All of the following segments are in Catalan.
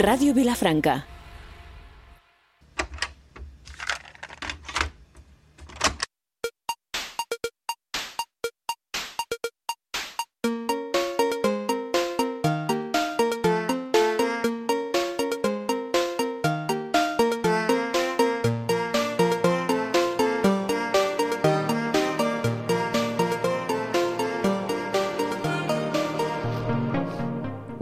Ràdio Vilafranca.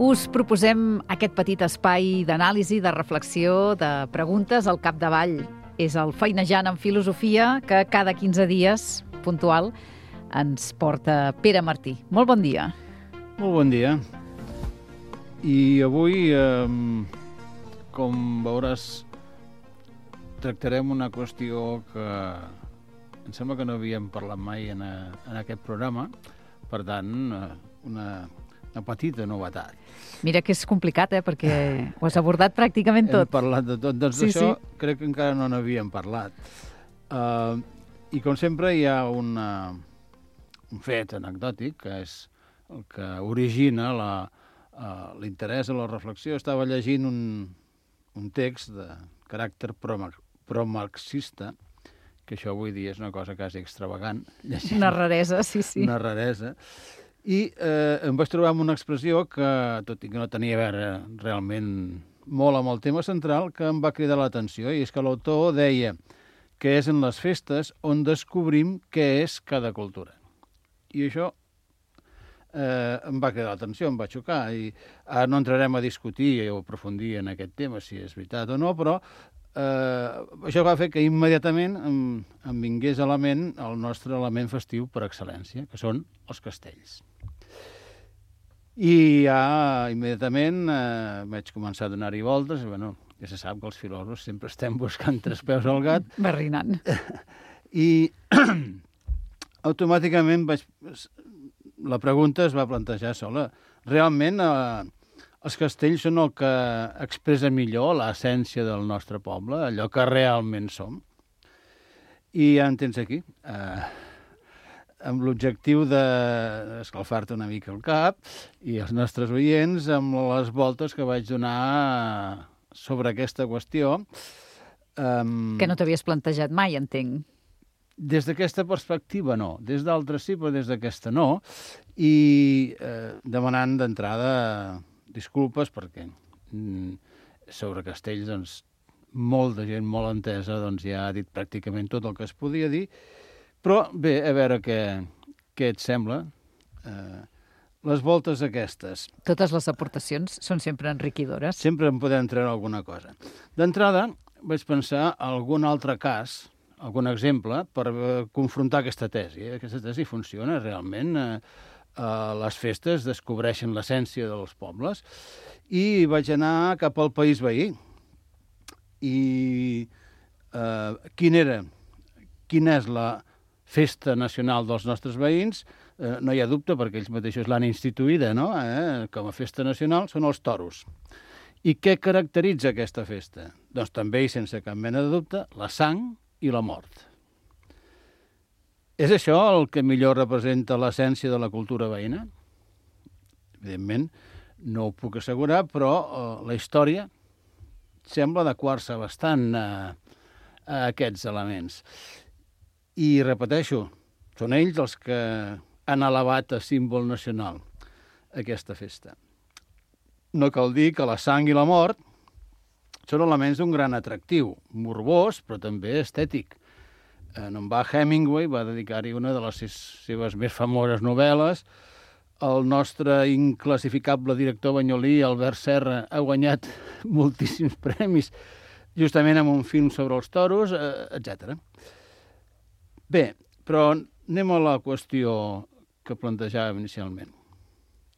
Us proposem aquest petit espai d'anàlisi, de reflexió, de preguntes al capdavall. És el Feinejant en Filosofia que cada 15 dies, puntual, ens porta Pere Martí. Molt bon dia. Molt bon dia. I avui, com veuràs, tractarem una qüestió que em sembla que no havíem parlat mai en aquest programa. Per tant, una petita novetat. Mira que és complicat, perquè ho has abordat pràcticament tot. Hem parlat de tot. Doncs Sí, d'això crec que encara no n'havíem parlat. I com sempre hi ha un fet anecdòtic, que és el que origina l'interès a la reflexió. Estava llegint un text de caràcter promarxista, que això avui dia és una cosa quasi extravagant. Una raresa, sí. Una raresa. I em vaig trobar amb una expressió que, tot i que no tenia a veure realment molt amb el tema central, que em va cridar l'atenció, i és que l'autor deia que és en les festes on descobrim què és cada cultura. I això em va cridar l'atenció, em va xocar, i ara no entrarem a discutir o aprofundir en aquest tema, si és veritat o no, però això va fer que immediatament em vingués a la ment el nostre element festiu per excel·lència, que són els castells. I ja immediatament vaig començar a donar-hi voltes, i ja se sap que els filòsofs sempre estem buscant tres peus al gat. Barrinant. I automàticament la pregunta es va plantejar sola. Realment els castells són el que expressa millor l'essència del nostre poble, allò que realment som. I ja en tens aquí, amb l'objectiu d'escalfar-te una mica el cap i els nostres oients amb les voltes que vaig donar sobre aquesta qüestió. Que no t'havies plantejat mai, entenc. Des d'aquesta perspectiva no, des d'altres sí, però des d'aquesta no, i demanant d'entrada disculpes perquè sobre castells doncs, molta gent molt entesa ja ha dit pràcticament tot el que es podia dir, però bé, a veure què et sembla. Les voltes aquestes. Totes les aportacions són sempre enriquidores. Sempre en podem treure alguna cosa. D'entrada vaig pensar algun altre cas, algun exemple, per confrontar aquesta tesi. Aquesta tesi funciona realment. Les festes descobreixen l'essència dels pobles i vaig anar cap al país veí. I quina és la festa nacional dels nostres veïns? No hi ha dubte, perquè ells mateixos l'han instituïda, no? Com a festa nacional, són els toros. I què caracteritza aquesta festa? Doncs també, i sense cap mena de dubte, la sang i la mort. És això el que millor representa l'essència de la cultura veïna? Evidentment, no ho puc assegurar, però la història sembla adequar-se bastant a aquests elements. I repeteixo, són ells els que han elevat a símbol nacional aquesta festa. No cal dir que la sang i la mort són elements d'un gran atractiu, morbós, però també estètic. En Hemingway va dedicar-hi una de les seves més famoses novel·les. El nostre inclassificable director banyolí, Albert Serra, ha guanyat moltíssims premis, justament amb un film sobre els toros, etc. Bé, però anem a la qüestió que plantejàvem inicialment.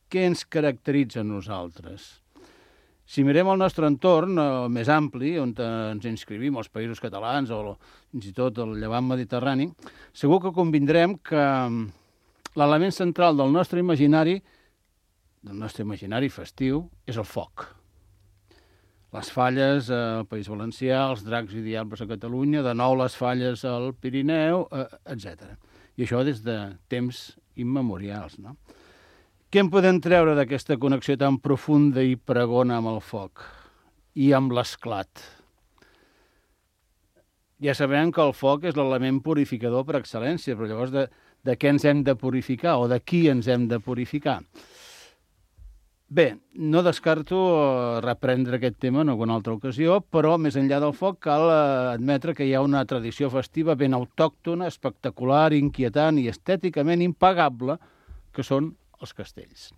Què ens caracteritza a nosaltres? Si mirem el nostre entorn, el més ampli, on ens inscrivim, els països catalans o fins i tot el llevant mediterrani, segur que convindrem que l'element central del nostre imaginari festiu, és el foc. Les falles al País Valencià, els dracs i diables a Catalunya, de nou les falles al Pirineu, etc. I això des de temps immemorials, no? Què en podem treure d'aquesta connexió tan profunda i pregona amb el foc? i amb l'esclat. Ja sabem que el foc és l'element purificador per excel·lència, però llavors de què ens hem de purificar o de qui ens hem de purificar? Bé, no descarto reprendre aquest tema en alguna altra ocasió, però més enllà del foc cal admetre que hi ha una tradició festiva ben autòctona, espectacular, inquietant i estèticament impagable, que són els castells,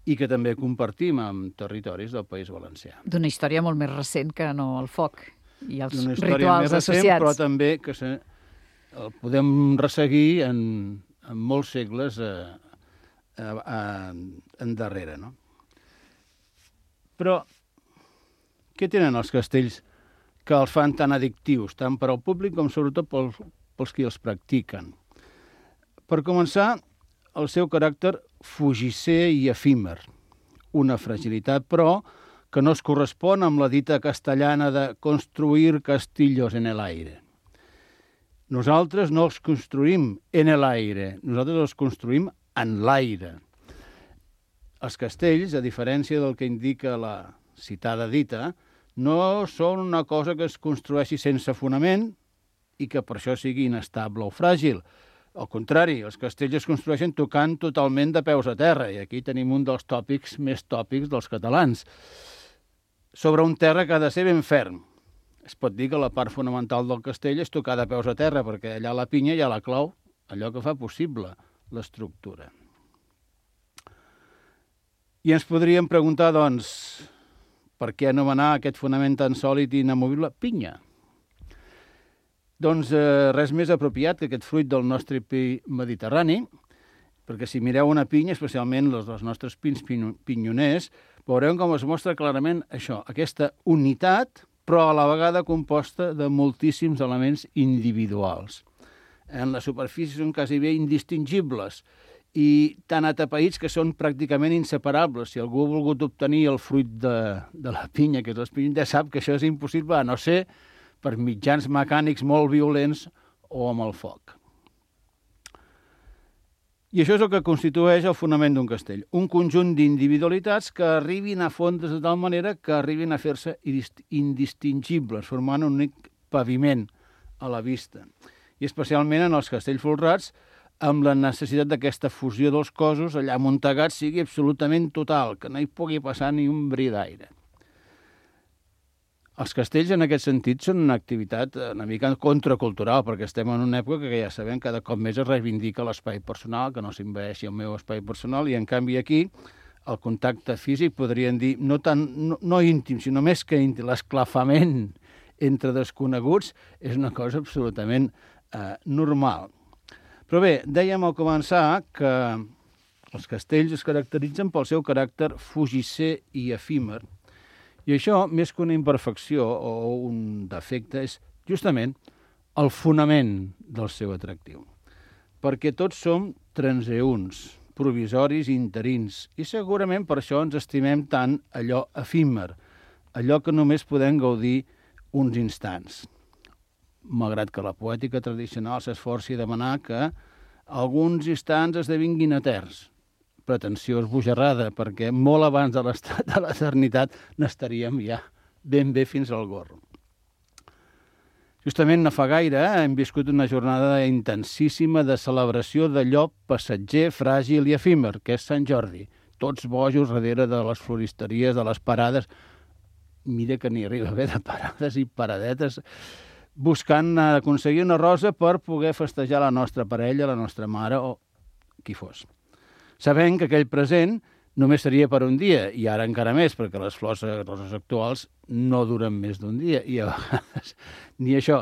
i que també compartim amb territoris del País Valencià. D'una història molt més recent que no el foc i els D'una història rituals més recent, associats. però també que el podem resseguir en molts segles endarrere, no? Però què tenen els castells que els fan tan addictius, tant per al públic com sobretot pels qui els practiquen? Per començar, el seu caràcter fugisser i efímer, una fragilitat, però, que no es correspon amb la dita castellana de construir castillos en el aire. Nosaltres no els construïm en el aire, nosaltres els construïm en l'aire. Els castells, a diferència del que indica la citada dita, no són una cosa que es construeixi sense fonament i que per això sigui inestable o fràgil. Al contrari, els castells es construeixen tocant totalment de peus a terra, i aquí tenim un dels tòpics més tòpics dels catalans. Sobre un terra que ha de ser ben ferm. Es pot dir que la part fonamental del castell és tocar de peus a terra, perquè allà a la pinya hi ha la clau, allò que fa possible l'estructura. I ens podríem preguntar, doncs, per què anomenar aquest fonament tan sòlid i inamovible pinya? Doncs res més apropiat que aquest fruit del nostre pi mediterrani, perquè si mireu una pinya, especialment els nostres pins pinyoners, veureu com es mostra clarament això, aquesta unitat, però a la vegada composta de moltíssims elements individuals. En la superfície són quasi bé indistingibles i tan atapeïts que són pràcticament inseparables. Si algú ha volgut obtenir el fruit de la pinya, que és l'espinyo, ja sap que això és impossible, a no ser per mitjans mecànics molt violents o amb el foc. I això és el que constitueix el fonament d'un castell. Un conjunt d'individualitats que arribin a fondre's de tal manera que arribin a fer-se indistingibles, formant un únic paviment a la vista. I especialment en els castells folrats, amb la necessitat d'aquesta fusió dels cossos allà amuntegats sigui absolutament total, que no hi pugui passar ni un bri d'aire. Els castells, en aquest sentit, són una activitat una mica contracultural, perquè estem en una època que ja sabem cada cop més es reivindica l'espai personal, que no s'envaeixi el meu espai personal, i en canvi aquí el contacte físic, podríem dir, no íntim, sinó més que íntim, l'esclafament entre desconeguts és una cosa absolutament normal. Però bé, dèiem al començar que els castells es caracteritzen pel seu caràcter fugisser i efímer, i això, més que una imperfecció o un defecte, és justament el fonament del seu atractiu. Perquè tots som transeünts, provisoris i interins, i segurament per això ens estimem tant allò efímer, allò que només podem gaudir uns instants. Malgrat que la poètica tradicional s'esforci a demanar que alguns instants esdevinguin eterns, pretensió esbojarrada, perquè molt abans de l'estat de l'eternitat n'estaríem ja ben bé fins al gorro. Justament no fa gaire hem viscut una jornada intensíssima de celebració d'allò passatger, fràgil i efímer, que és Sant Jordi. Tots bojos darrere de les floristeries, de les parades. Mira que n'hi arriba bé de parades i paradetes, buscant aconseguir una rosa per poder festejar la nostra parella, la nostra mare o qui fos. Sabent que aquell present només seria per un dia, i ara encara més, perquè les roses actuals no duren més d'un dia, i a vegades ni això.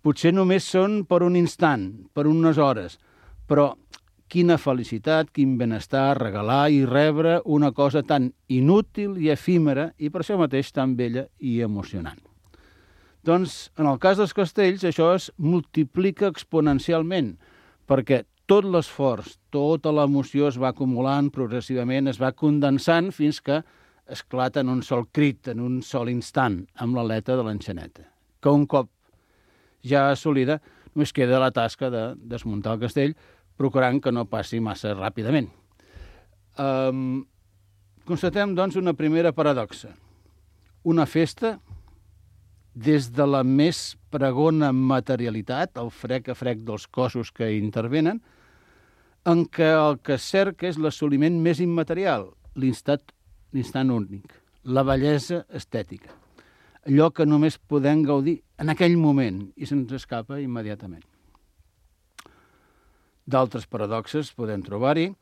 Potser només són per un instant, per unes hores, però quina felicitat, quin benestar regalar i rebre una cosa tan inútil i efímera i per això mateix tan bella i emocionant. Doncs, en el cas dels castells, això es multiplica exponencialment, perquè tot l'esforç, tota l'emoció es va acumulant progressivament, es va condensant fins que esclata en un sol crit, en un sol instant, amb l'aleta de l'enxaneta, que un cop ja assolida només queda la tasca de desmuntar el castell, procurant que no passi massa ràpidament. Constatem, doncs, una primera paradoxa. una festa des de la més pregona materialitat, el frec a frec dels cossos que hi intervenen, en què el que es cerca és l'assoliment més immaterial, l'instant únic, la bellesa estètica, allò que només podem gaudir en aquell moment i se'ns escapa immediatament. D'altres paradoxes podem trobar-hi.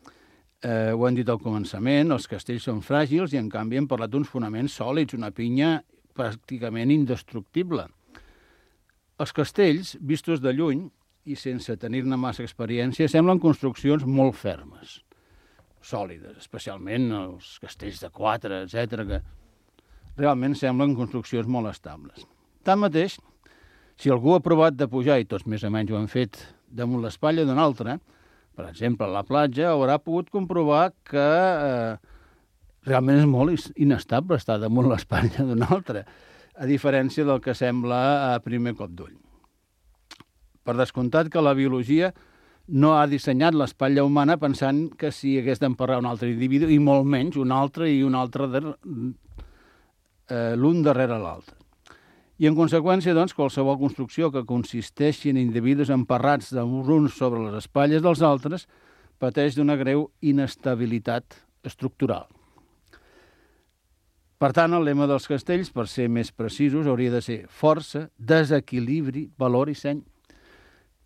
Ho hem dit al començament, els castells són fràgils i, en canvi, hem parlat d'uns fonaments sòlids, una pinya pràcticament indestructible. Els castells, vistos de lluny i sense tenir-ne massa experiència, semblen construccions molt fermes, sòlides, especialment els castells de 4, etc., que realment semblen construccions molt estables. Tanmateix, si algú ha provat de pujar, i tots més o menys ho han fet, damunt l'espatlla d'un altre, per exemple, a la platja, haurà pogut comprovar que realment és molt inestable estar damunt l'espatlla d'un altre, a diferència del que sembla a primer cop d'ull. Per descomptat que la biologia no ha dissenyat l'espatlla humana pensant que si hagués d'emparrar un altre individu, i molt menys un altre i un altre l'un darrere l'altre. I, en conseqüència, doncs, qualsevol construcció que consisteixi en individus emparrats dels uns sobre les espatlles dels altres pateix d'una greu inestabilitat estructural. Per tant, el lema dels castells, per ser més precisos, hauria de ser força, desequilibri, valor i seny,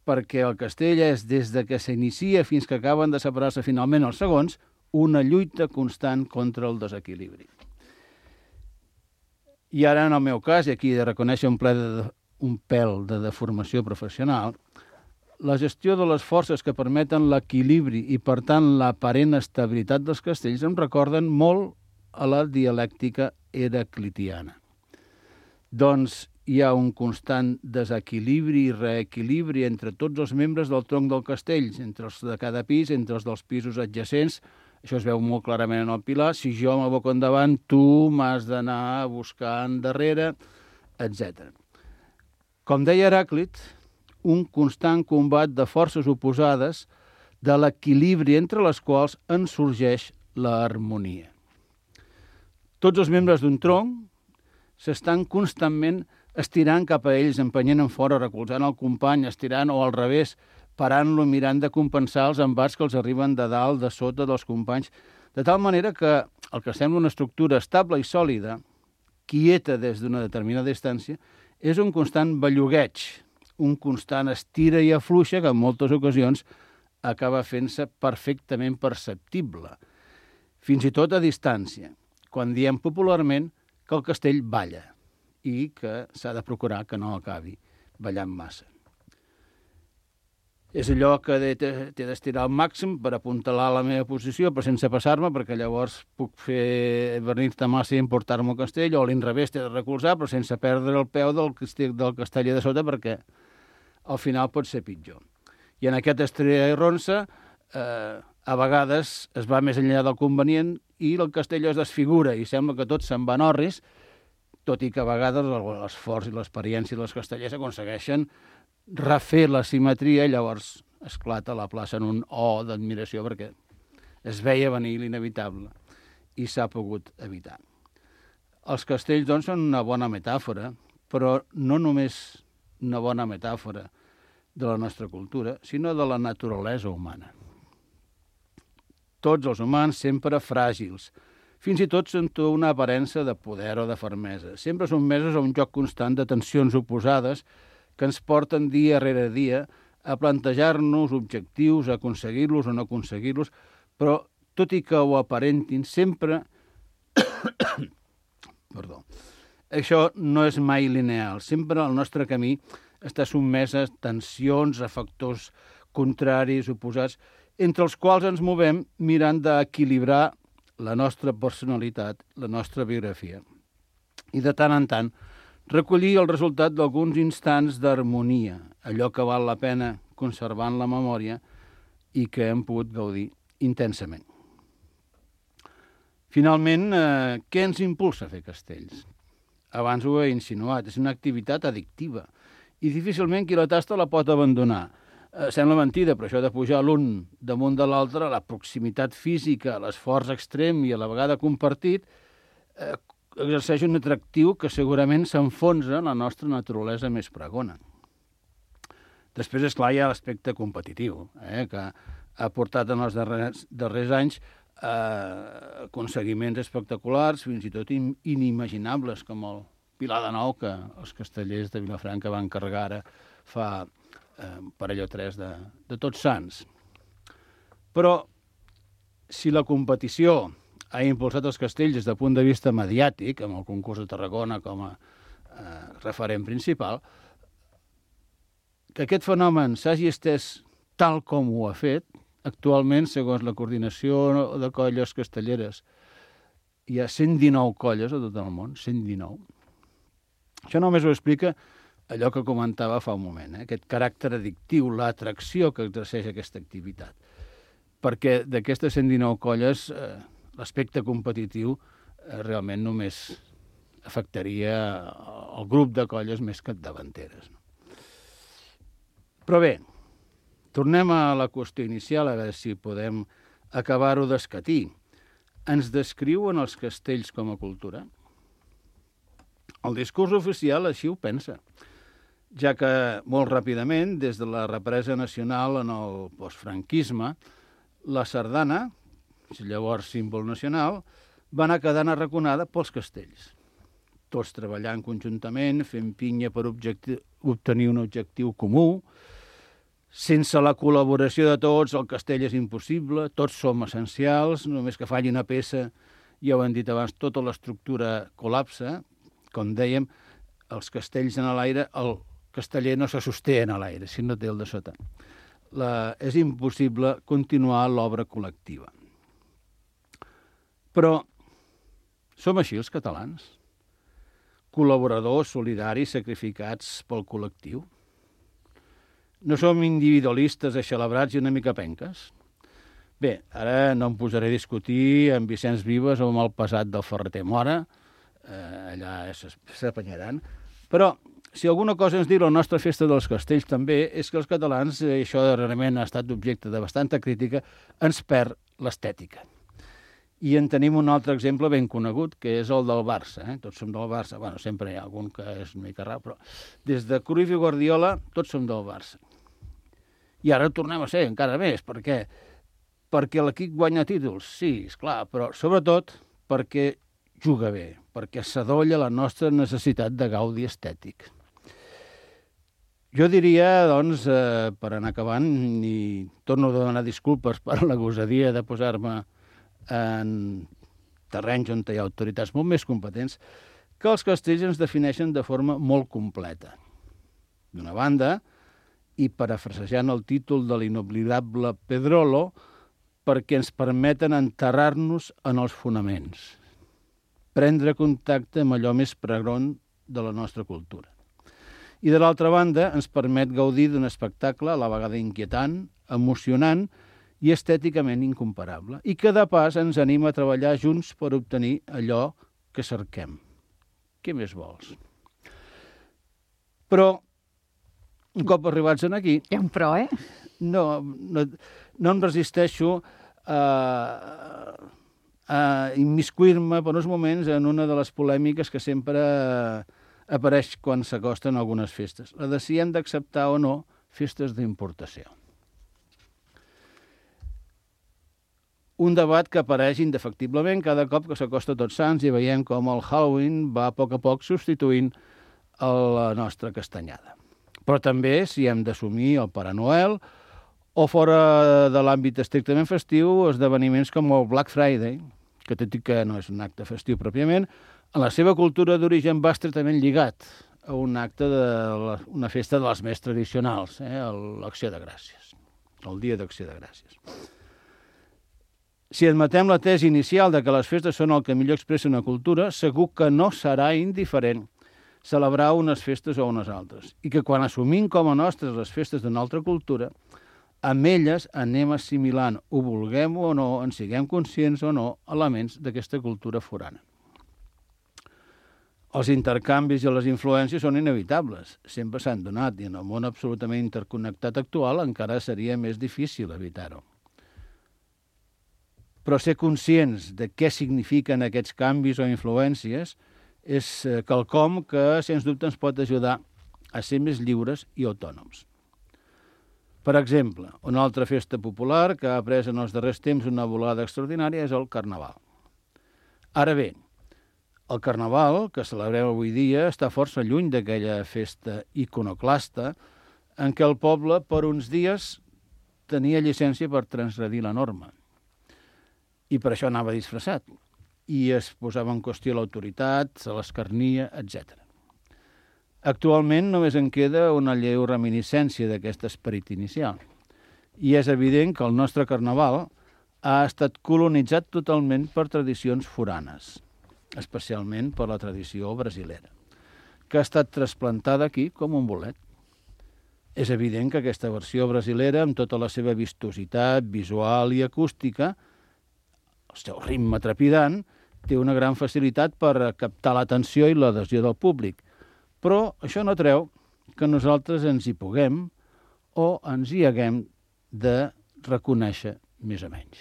perquè el castell és, des de que s'inicia fins que acaben de separar-se finalment els segons, una lluita constant contra el desequilibri. I ara, en el meu cas, i aquí he de reconèixer un pèl de deformació professional, la gestió de les forces que permeten l'equilibri i, per tant, l'aparent estabilitat dels castells em recorden molt a la dialèctica heraclitiana. Doncs hi ha un constant desequilibri i reequilibri entre tots els membres del tronc del castell, entre els de cada pis, entre els dels pisos adjacents. Això es veu molt clarament en el pilar. Si jo m'aboco endavant, tu m'has d'anar a buscar endarrere, etc. Com deia Heràclit, un constant combat de forces oposades, de l'equilibri entre les quals en sorgeix l'harmonia. Tots els membres d'un tronc s'estan constantment estirant cap a ells, empenyent en fora, recolzant el company, estirant o al revés, parant-lo, mirant de compensar els embats que els arriben de dalt, de sota dels companys, de tal manera que el que sembla una estructura estable i sòlida, quieta des d'una determinada distància, és un constant bellugueig, un constant estira i afluixa que en moltes ocasions acaba fent-se perfectament perceptible, fins i tot a distància, quan diem popularment que el castell balla i que s'ha de procurar que no acabi ballant massa. És allò que t'he d'estirar al màxim per apuntalar la meva posició, però sense passar-me, perquè llavors puc fer venir-te massa i emportar-me al castell, o a l'inrevés t'he de recolzar, però sense perdre el peu del castell de sota, perquè al final pot ser pitjor. I en aquest estrella i ronça, a vegades es va més enllà del convenient i el castell es desfigura i sembla que tot se'n va en orris, tot i que a vegades l'esforç i l'experiència dels castellers aconsegueixen refer la simetria i llavors esclata la plaça en un O d'admiració perquè es veia venir l'inevitable i s'ha pogut evitar. Els castells, doncs, són una bona metàfora, però no només una bona metàfora de la nostra cultura, sinó de la naturalesa humana. Tots els humans sempre fràgils, fins i tot sento una aparença de poder o de fermesa. Sempre sotmesos a un joc constant de tensions oposades que ens porten dia rere dia a plantejar-nos objectius, a aconseguir-los o no aconseguir-los, però tot i que ho aparentin, sempre... Perdó. Això no és mai lineal. Sempre el nostre camí està sotmès a tensions, a factors contraris, oposats, entre els quals ens movem mirant d'equilibrar la nostra personalitat, la nostra biografia. I de tant en tant recollir el resultat d'alguns instants d'harmonia, allò que val la pena conservar en la memòria i que hem pogut gaudir intensament. Finalment, què ens impulsa a fer castells? Abans ho he insinuat, és una activitat addictiva i difícilment qui la tasta la pot abandonar. Sembla mentida, però això de pujar l'un damunt de l'altre, la proximitat física, l'esforç extrem i a la vegada compartit, exerceix un atractiu que segurament s'enfonsa en la nostra naturalesa més pregona. Després, esclar, hi ha l'aspecte competitiu, que ha portat en els darrers anys aconseguiments espectaculars, fins i tot inimaginables, com el Pilar de Nou, que els castellers de Vilafranca van carregar ara fa parell o tres de Tots Sants. Però si la competició ha impulsat els castells des del punt de vista mediàtic, amb el concurs de Tarragona com a referent principal, que aquest fenomen s'hagi estès tal com ho ha fet, actualment, segons la coordinació de colles castelleres, hi ha 119 colles a tot el món, 119. Això només ho explica allò que comentava fa un moment, aquest caràcter addictiu, l'atracció que exerceix aquesta activitat. Perquè d'aquestes 119 colles, l'aspecte competitiu realment només afectaria el grup de colles més capdavanteres. Però bé, tornem a la qüestió inicial, a veure si podem acabar-ho d'escatir. Ens descriuen els castells com a cultura? El discurs oficial així ho pensa, ja que molt ràpidament, des de la represa nacional en el postfranquisme, la sardana, llavors símbol nacional, va anar quedant arraconada pels castells. Tots treballant conjuntament, fent pinya per obtenir un objectiu comú. Sense la col·laboració de tots, el castell és impossible, tots som essencials, només que falli una peça, ja ho hem dit abans, tota l'estructura col·lapsa. Com dèiem, els castells en l'aire, el casteller no se sosté en l'aire, si no té el de sota. És impossible continuar l'obra col·lectiva. Però som així els catalans? Col·laboradors, solidaris, sacrificats pel col·lectiu? No som individualistes, eixelebrats i una mica penques? Bé, ara no em posaré a discutir amb Vicenç Vives o amb el passat del Ferreter Mora, allà s'apanyaran, però si alguna cosa ens diu la nostra festa dels castells també és que els catalans, això realment ha estat objecte de bastanta crítica, ens perd l'estètica. I en tenim un altre exemple ben conegut, que és el del Barça. Tots som del Barça. Bueno, sempre hi ha algun que és una mica rar, però des de Cruyff i Guardiola tots som del Barça. I ara tornem a ser encara més. Per què? Perquè l'equip guanya títols, sí, esclar, però sobretot perquè juga bé, perquè s'adolla la nostra necessitat de gaudi estètic. Jo diria, doncs, per anar acabant, i torno a demanar disculpes per la gosadia de posar-me en terrenys on hi ha autoritats molt més competents, que els castells ens defineixen de forma molt completa. D'una banda, i parafrasejant el títol de l'inoblidable Pedrolo, perquè ens permeten enterrar-nos en els fonaments, prendre contacte amb allò més pregron de la nostra cultura. I de l'altra banda, ens permet gaudir d'un espectacle a la vegada inquietant, emocionant i estèticament incomparable, i que de pas ens anima a treballar junts per obtenir allò que cerquem. Què més vols? Però, un cop arribats aquí... Hi ha un però, No em resisteixo a immiscuir-me per uns moments en una de les polèmiques que sempre apareix quan s'acosten algunes festes. La de si hem d'acceptar o no festes d'importació. Un debat que apareix indefectiblement cada cop que s'acosta Tots Sants i veiem com el Halloween va a poc substituint la nostra castanyada. Però també si hem d'assumir el Pare Noel o fora de l'àmbit estrictament festiu, esdeveniments com el Black Friday, que tot i que no és un acte festiu pròpiament, en la seva cultura d'origen va estretament lligat a un acte una festa de les més tradicionals, l'Acció de Gràcies, el Dia d'Acció de Gràcies. Si admetem la tesi inicial de que les festes són el que millor expressa una cultura, segur que no serà indiferent celebrar unes festes o unes altres, i que quan assumim com a nostres les festes d'una altra cultura, amb elles anem assimilant, ho vulguem o no, en siguem conscients o no, elements d'aquesta cultura forana. Els intercanvis i les influències són inevitables, sempre s'han donat, i en el món absolutament interconnectat actual encara seria més difícil evitar-ho. Però ser conscients de què signifiquen aquests canvis o influències és quelcom que, sens dubte, ens pot ajudar a ser més lliures i autònoms. Per exemple, una altra festa popular que ha pres en els darrers temps una volada extraordinària és el Carnaval. Ara bé, el Carnaval, que celebrem avui dia, està força lluny d'aquella festa iconoclasta en què el poble, per uns dies, tenia llicència per transgredir la norma. I per això anava disfressat. I es posava en qüestió l'autoritat, se l'escarnia, etc. Actualment només en queda una lleu reminiscència d'aquest esperit inicial. I és evident que el nostre Carnaval ha estat colonitzat totalment per tradicions foranes, especialment per la tradició brasilera, que ha estat trasplantada aquí com un bolet. És evident que aquesta versió brasilera, amb tota la seva vistositat visual i acústica, el seu ritme trepidant, té una gran facilitat per captar l'atenció i l'adhesió del públic. Però això no treu que nosaltres ens hi puguem o ens hi haguem de reconèixer més o menys.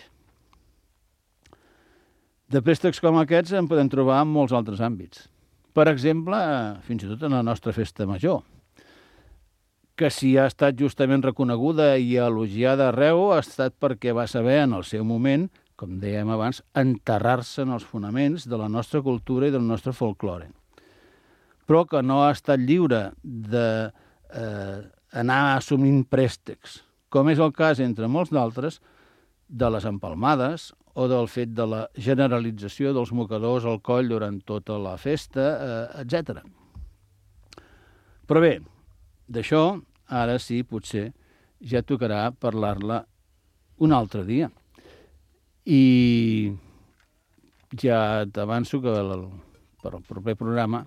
De préstecs com aquests en podem trobar en molts altres àmbits. Per exemple, fins i tot en la nostra festa major, que si ha estat justament reconeguda i elogiada arreu ha estat perquè va saber en el seu moment, com dèiem abans, enterrar-se en els fonaments de la nostra cultura i del nostre folklore. Però que no ha estat lliure d'anar assumint préstecs, com és el cas, entre molts d'altres, de les empalmades o del fet de la generalització dels mocadors al coll durant tota la festa, etc. Però bé, d'això, ara sí, potser, ja tocarà parlar-la un altre dia. I ja t'avanço que per al proper programa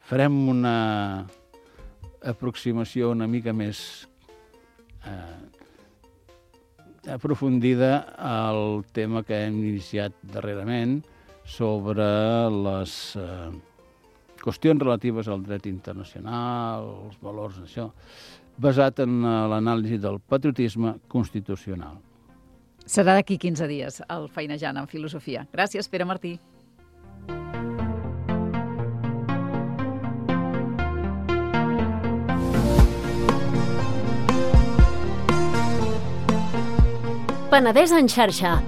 farem una aproximació una mica més aprofundida al tema que hem iniciat darrerament sobre les qüestions relatives al dret internacional, els valors d'això, basat en l'anàlisi del patriotisme constitucional. Serà d'aquí 15 dies, el Feinejant en Filosofia. Gràcies, Pere Martí. Penedès en xarxa.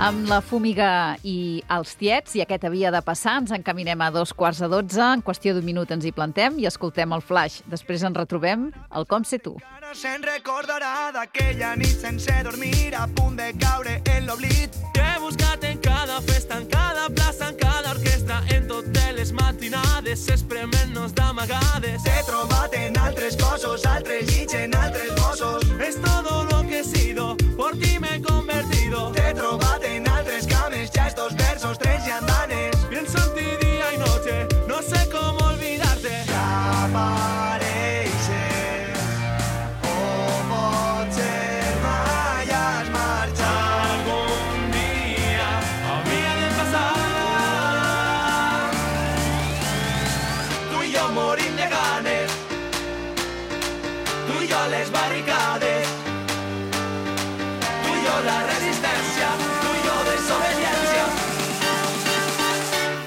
Amb la Fúmiga i els tiets, i aquest havia de passar, ens encaminem a 11:15. En qüestió d'un minut ens hi plantem i escoltem el flash. Després ens retrobem al Com sé tu. Ara se'n recordarà d'aquella nit sense dormir, a punt de caure en l'oblit. T'he buscat en cada festa, en cada plaça, en cada orquestra, en totes les matinades, esprement-nos d'amagades. T'he trobat en altres cossos, altres llits, en altres bossos. Es todo lo que he sido, por ti me he convertido. T'he trobat en altres cames, ja estos versos, tres llandanes. Pienso en ti día y noche, no sé cómo olvidarte. Ja apareixes, o potser mai has marxat. Algún día habría de pasar. Tu i jo morim de ganes, tu i jo les barricades, tu i jo la resistència, tu i jo desobediència,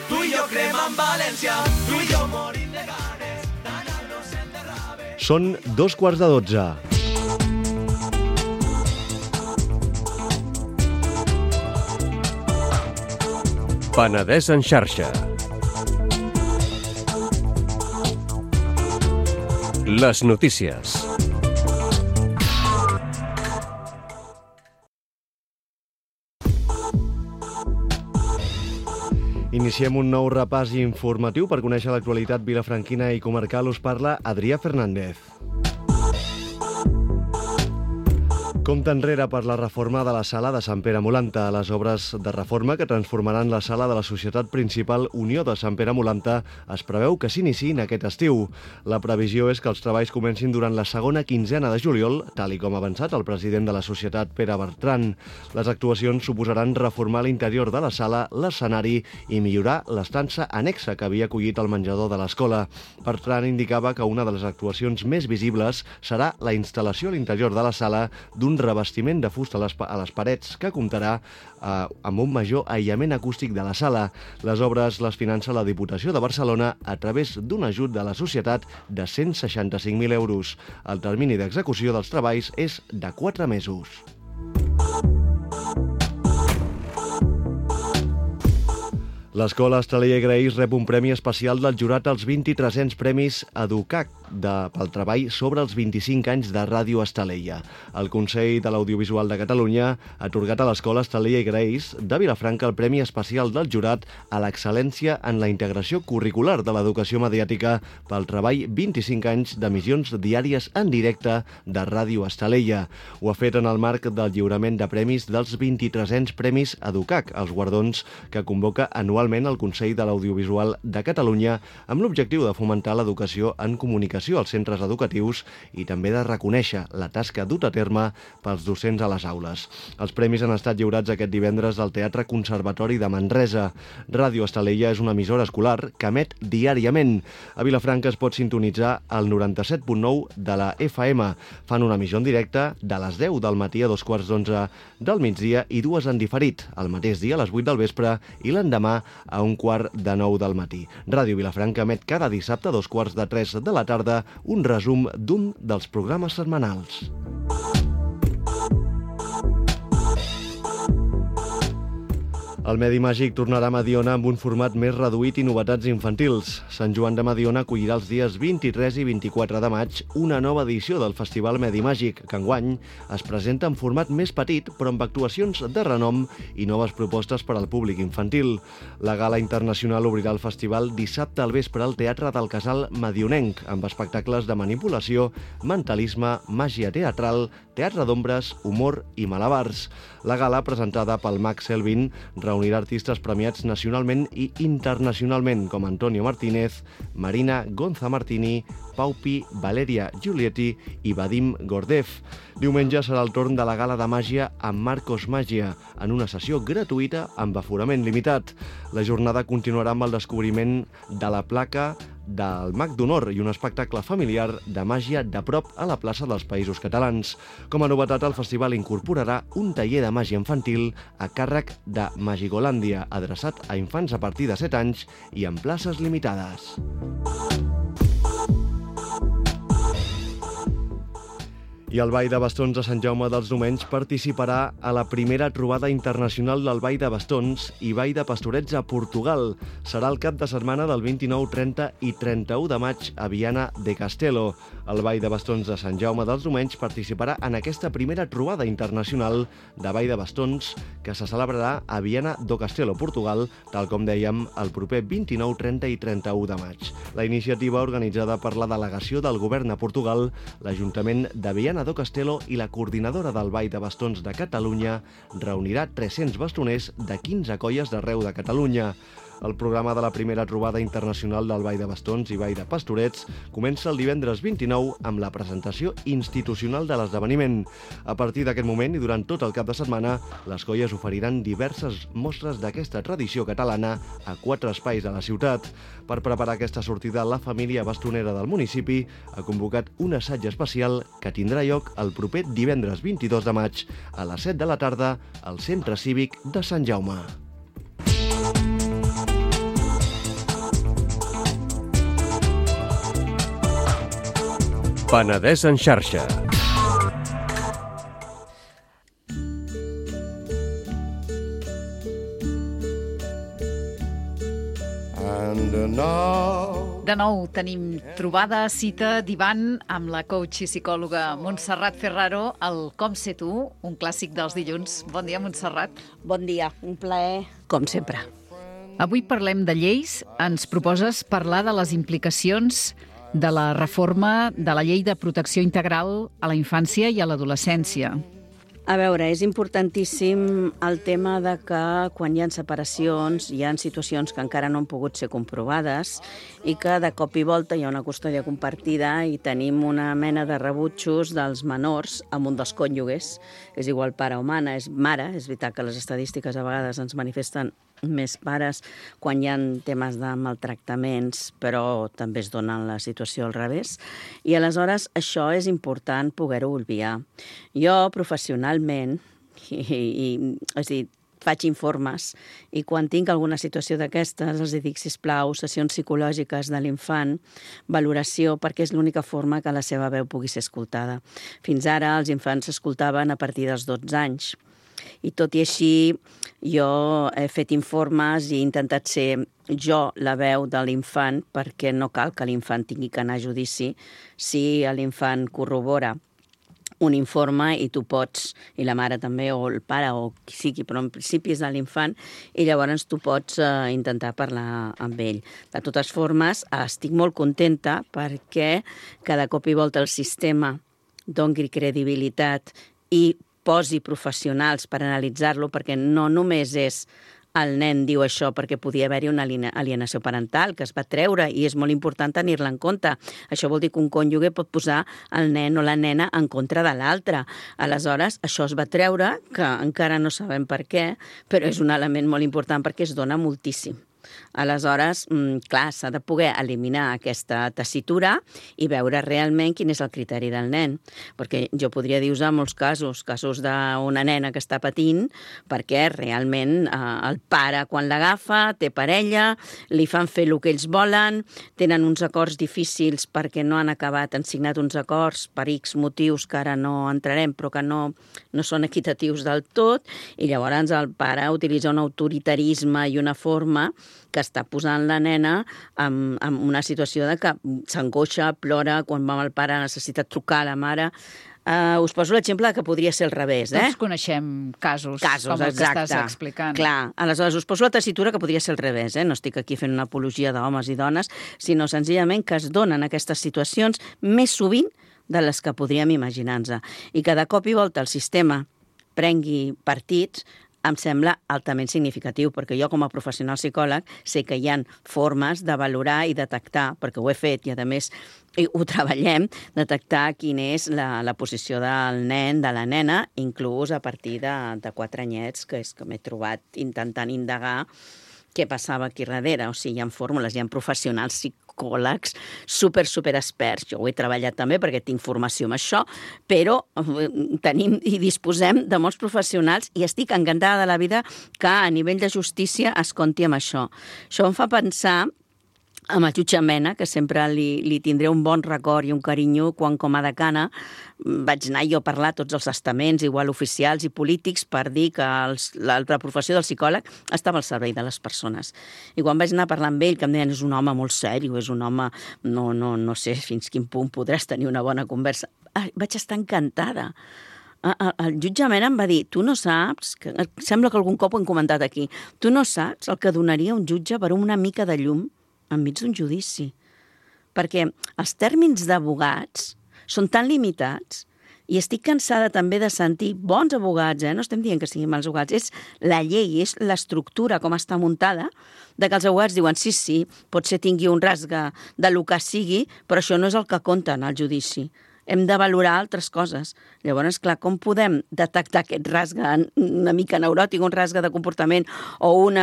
tu i jo cremant València, tu i jo morim de ganes, d'anar-nos enterrave. Són 11:45. Penedès en xarxa. Les notícies. Iniciem un nou repàs informatiu per conèixer l'actualitat vilafranquina i comarcal. Us parla Adrià Fernández. Compte enrere per la reforma de la sala de Sant Pere Molanta. Les obres de reforma que transformaran la sala de la Societat Principal Unió de Sant Pere Molanta es preveu que s'iniciïn aquest estiu. La previsió és que els treballs comencin durant la segona quinzena de juliol, tal i com ha avançat el president de la societat, Pere Bertran. Les actuacions suposaran reformar l'interior de la sala, l'escenari i millorar l'estança annexa que havia acollit el menjador de l'escola. Bertran indicava que una de les actuacions més visibles serà la instal·lació a l'interior de la sala d'un revestiment de fusta a les parets que comptarà amb un major aïllament acústic de la sala. Les obres les finança la Diputació de Barcelona a través d'un ajut de la societat de 165.000 euros. El termini d'execució dels treballs és de 4 mesos. L'Escola Estalella i Graells rep un premi especial del jurat als 2300 Premis EduCAC pel treball sobre els 25 anys de Ràdio Estalella. El Consell de l'Audiovisual de Catalunya ha atorgat a l'Escola Estalella i Graells de Vilafranca el Premi Especial del Jurat a l'excel·lència en la integració curricular de l'educació mediàtica pel treball 25 anys d'emissions diàries en directe de Ràdio Estalella. Ho ha fet en el marc del lliurament de premis dels 2300 Premis EduCAC, els guardons que convoca anualment el Consell de l'Audiovisual de Catalunya amb l'objectiu de fomentar l'educació en comunicació als centres educatius i també de reconèixer la tasca duta a terme pels docents a les aules. Els premis han estat lliurats aquest divendres al Teatre Conservatori de Manresa. Ràdio Estalella és una emissora escolar que emet diàriament. A Vilafranca es pot sintonitzar al 97.9 de la FM. Fan una emissió en directe de les 10 del matí a 2:15 del migdia i 2 en diferit, el mateix dia a les 8 del vespre i l'endemà a 1:15 del matí. Ràdio Vilafranca emet cada dissabte a 2:45 de la tarda un resum d'un dels programes setmanals. El Medi Màgic tornarà a Mediona amb un format més reduït i novetats infantils. Sant Joan de Mediona acollirà els dies 23 i 24 de maig una nova edició del Festival Medi Màgic, que enguany es presenta en format més petit, però amb actuacions de renom i noves propostes per al públic infantil. La gala internacional obrirà el festival dissabte al vespre al Teatre del Casal Medionenc, amb espectacles de manipulació, mentalisme, màgia teatral, teatre d'ombres, humor i malabars. La gala, presentada pel Mag Selvin, reunirà artistes premiats nacionalment i internacionalment com Antonio Martínez, Marina Gonza Martini, Paupi, Valeria Giulietti i Vadim Gordev. Diumenge serà el torn de la gala de màgia amb Marcos Màgia, en una sessió gratuïta amb aforament limitat. La jornada continuarà amb el descobriment de la placa del Mag d'Honor i un espectacle familiar de màgia de prop a la plaça dels Països Catalans. Com a novetat, el festival incorporarà un taller de màgia infantil a càrrec de Magigolàndia, adreçat a infants a partir de 7 anys i en places limitades. I el Ball de Bastons de Sant Jaume dels Domenys participarà a la primera trobada internacional del Ball de Bastons i Ball de Pastorets a Portugal. Serà el cap de setmana del 29, 30 i 31 de maig a Viana de Castelo. El Ball de Bastons de Sant Jaume dels Domenys participarà en aquesta primera trobada internacional de Ball de Bastons que se celebrarà a Viana do Castelo, Portugal, tal com dèiem, el proper 29, 30 i 31 de maig. La iniciativa, organitzada per la delegació del govern a Portugal, l'Ajuntament de Viana do Castelo i la coordinadora del Ball de Bastons de Catalunya, reunirà 300 bastoners de 15 colles d'arreu de Catalunya. El programa de la primera trobada internacional del Ball de Bastons i Ball de Pastorets comença el divendres 29 amb la presentació institucional de l'esdeveniment. A partir d'aquest moment i durant tot el cap de setmana, les colles oferiran diverses mostres d'aquesta tradició catalana a 4 espais de la ciutat. Per preparar aquesta sortida, la família bastonera del municipi ha convocat un assaig especial que tindrà lloc el proper divendres 22 de maig a les 7 de la tarda al Centre Cívic de Sant Jaume. Penedès en xarxa. De nou tenim trobada, cita, divan amb la coach i psicòloga Montserrat Ferraro, el Com sé tu, un clàssic dels dilluns. Bon dia, Montserrat. Bon dia, un plaer, com sempre. Avui parlem de lleis. Ens proposes parlar de les implicacions de la reforma de la Llei de Protecció Integral a la infància i a l'adolescència. A veure, és importantíssim el tema de que quan hi ha separacions, hi ha situacions que encara no han pogut ser comprovades i que de cop i volta hi ha una custòdia compartida i tenim una mena de rebutjos dels menors amb un dels cònjuges. És igual pare o mare. És veritat que les estadístiques a vegades ens manifesten més pares quan hi ha temes de maltractaments, però també es dona la situació al revés. I aleshores això és important poder-ho obviar. Jo professionalment, és a dir, faig informes i quan tinc alguna situació d'aquestes els dic, sisplau, sessions psicològiques de l'infant, valoració, perquè és l'única forma que la seva veu pugui ser escoltada. Fins ara els infants s'escoltaven a partir dels 12 anys. I tot i així, jo he fet informes i he intentat ser jo la veu de l'infant perquè no cal que l'infant tingui que anar a judici si l'infant corrobora un informe i tu pots, i la mare també, o el pare, o qui sigui, però en principi és de l'infant, i llavors tu pots intentar parlar amb ell. De totes formes, estic molt contenta perquè cada cop i volta el sistema doni credibilitat i posi professionals per analitzar-lo, perquè no només és el nen diu això perquè podia haver-hi una alienació parental que es va treure i és molt important tenir-la en compte. Això vol dir que un cònjuge pot posar el nen o la nena en contra de l'altre. Aleshores, això es va treure, que encara no sabem per què, però és un element molt important perquè es dona moltíssim. Aleshores, clar, s'ha de poder eliminar aquesta tessitura i veure realment quin és el criteri del nen. Perquè jo podria dir en molts casos d'una nena que està patint, perquè realment el pare, quan l'agafa, té parella, li fan fer el que ells volen, tenen uns acords difícils perquè no han acabat, han signat uns acords per X motius que ara no entrarem, però que no són equitatius del tot, i llavors el pare utilitza un autoritarisme i una forma que està posant la nena en una situació de que s'angoixa, plora, quan va amb el pare necessita trucar a la mare. Us poso l'exemple que podria ser al revés. Tots coneixem casos com el que estàs explicant. Clar, aleshores us poso la tessitura que podria ser al revés. No estic aquí fent una apologia d'homes i dones, sinó senzillament que es donen aquestes situacions més sovint de les que podríem imaginar-nos. I que de cop i volta el sistema prengui partits em sembla altament significatiu, perquè jo com a professional psicòleg sé que hi ha formes de valorar i detectar, perquè ho he fet i a més ho treballem, detectar quina és la posició del nen, de la nena, inclús a partir de 4 anyets, que és que m'he trobat intentant indagar què passava aquí darrere. O sigui, hi ha fórmules, hi ha professionals psicòlegs super experts. Jo ho he treballat també perquè tinc formació amb això, però tenim i disposem de molts professionals i estic encantada de la vida que a nivell de justícia es compti amb això. Això em fa pensar amb el jutge Mena, que sempre li tindré un bon record i un carinyo quan com a decana vaig anar jo a parlar a tots els estaments, igual oficials i polítics, per dir que la professió del psicòleg estava al servei de les persones. I quan vaig anar a parlar amb ell, que em deien és un home molt sèrio, és un home, no sé fins quin punt podràs tenir una bona conversa, vaig estar encantada. El jutge Mena em va dir, tu no saps, que sembla que algun cop ho hem comentat aquí, tu no saps el que donaria un jutge per una mica de llum enmig d'un judici. Perquè els tèrmins d'abogats són tan limitats i estic cansada també de sentir bons abogats, no estem dient que siguin mals abogats, és la llei, és l'estructura com està muntada, de que els abogats diuen sí, potser tingui un rasgue de lo que sigui, però això no és el que compta en el judici. Hem de valorar altres coses. Llavors, clar, com podem detectar aquest rasgue una mica neuròtic, un rasgue de comportament o un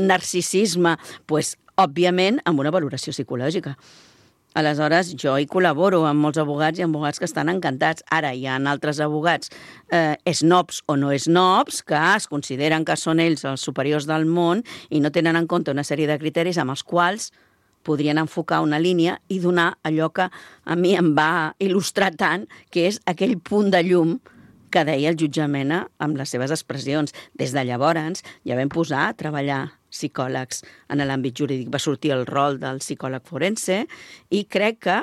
narcisisme? Doncs, òbviament, amb una valoració psicològica. Aleshores, jo hi col·laboro amb molts abogats i amb abogats que estan encantats. Ara hi ha altres abogats snobs o no snobs que es consideren que són ells els superiors del món i no tenen en compte una sèrie de criteris amb els quals podrien enfocar una línia i donar allò que a mi em va il·lustrar tant, que és aquell punt de llum que deia el jutge Mena amb les seves expressions. Des de llavors ja vam posar a treballar psicòlegs en l'àmbit jurídic. Va sortir el rol del psicòleg forense i crec que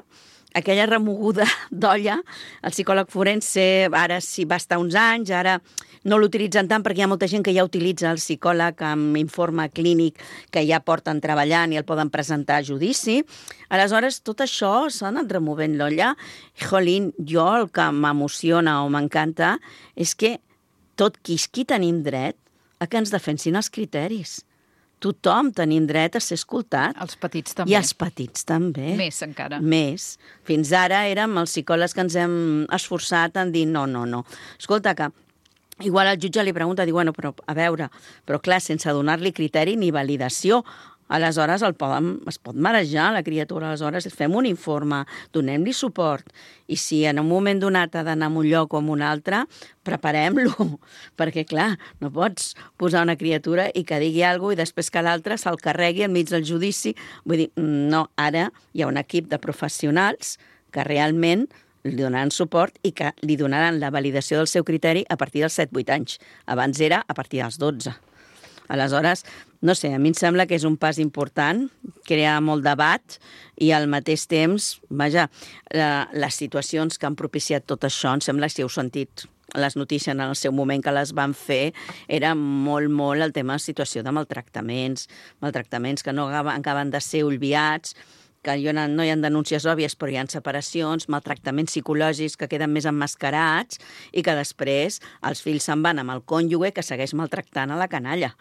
aquella remoguda d'olla, el psicòleg forense ara sí va estar uns anys, ara no l'utilitzen tant perquè hi ha molta gent que ja utilitza el psicòleg amb informe clínic que ja porten treballant i el poden presentar a judici. Aleshores, tot això s'ha anat removent l'olla. Jolín, jo el que m'emociona o m'encanta és que tot qui tenim dret a que ens defensin els criteris. Tothom tenim dret a ser escoltat. Els petits també. I els petits també. Més encara. Més. Fins ara érem els psicòlegs que ens hem esforçat en dir no. Escolta, que igual el jutge li pregunta, diu, bueno, però a veure, però clar, sense donar-li criteri ni validació, aleshores es pot marejar la criatura, aleshores fem un informe, donem-li suport, i si en un moment donat ha d'anar a un lloc o a un altre, preparem-lo, perquè clar, no pots posar una criatura i que digui alguna cosa i després que l'altre se'l carregui enmig del judici. Vull dir, no, ara hi ha un equip de professionals que realment li donaran suport i que li donaran la validació del seu criteri a partir dels 7-8 anys. Abans era a partir dels 12. Aleshores, no sé, a mi em sembla que és un pas important, crea molt debat i al mateix temps, vaja, les situacions que han propiciat tot això, em sembla, si heu sentit les notícies en el seu moment que les van fer, era molt el tema de situació de maltractaments que no acaben de ser olvidats, que no hi ha denúncies òbvies, però hi ha separacions, maltractaments psicològics que queden més emmascarats i que després els fills se'n van amb el cònjuge que segueix maltractant a la canalla.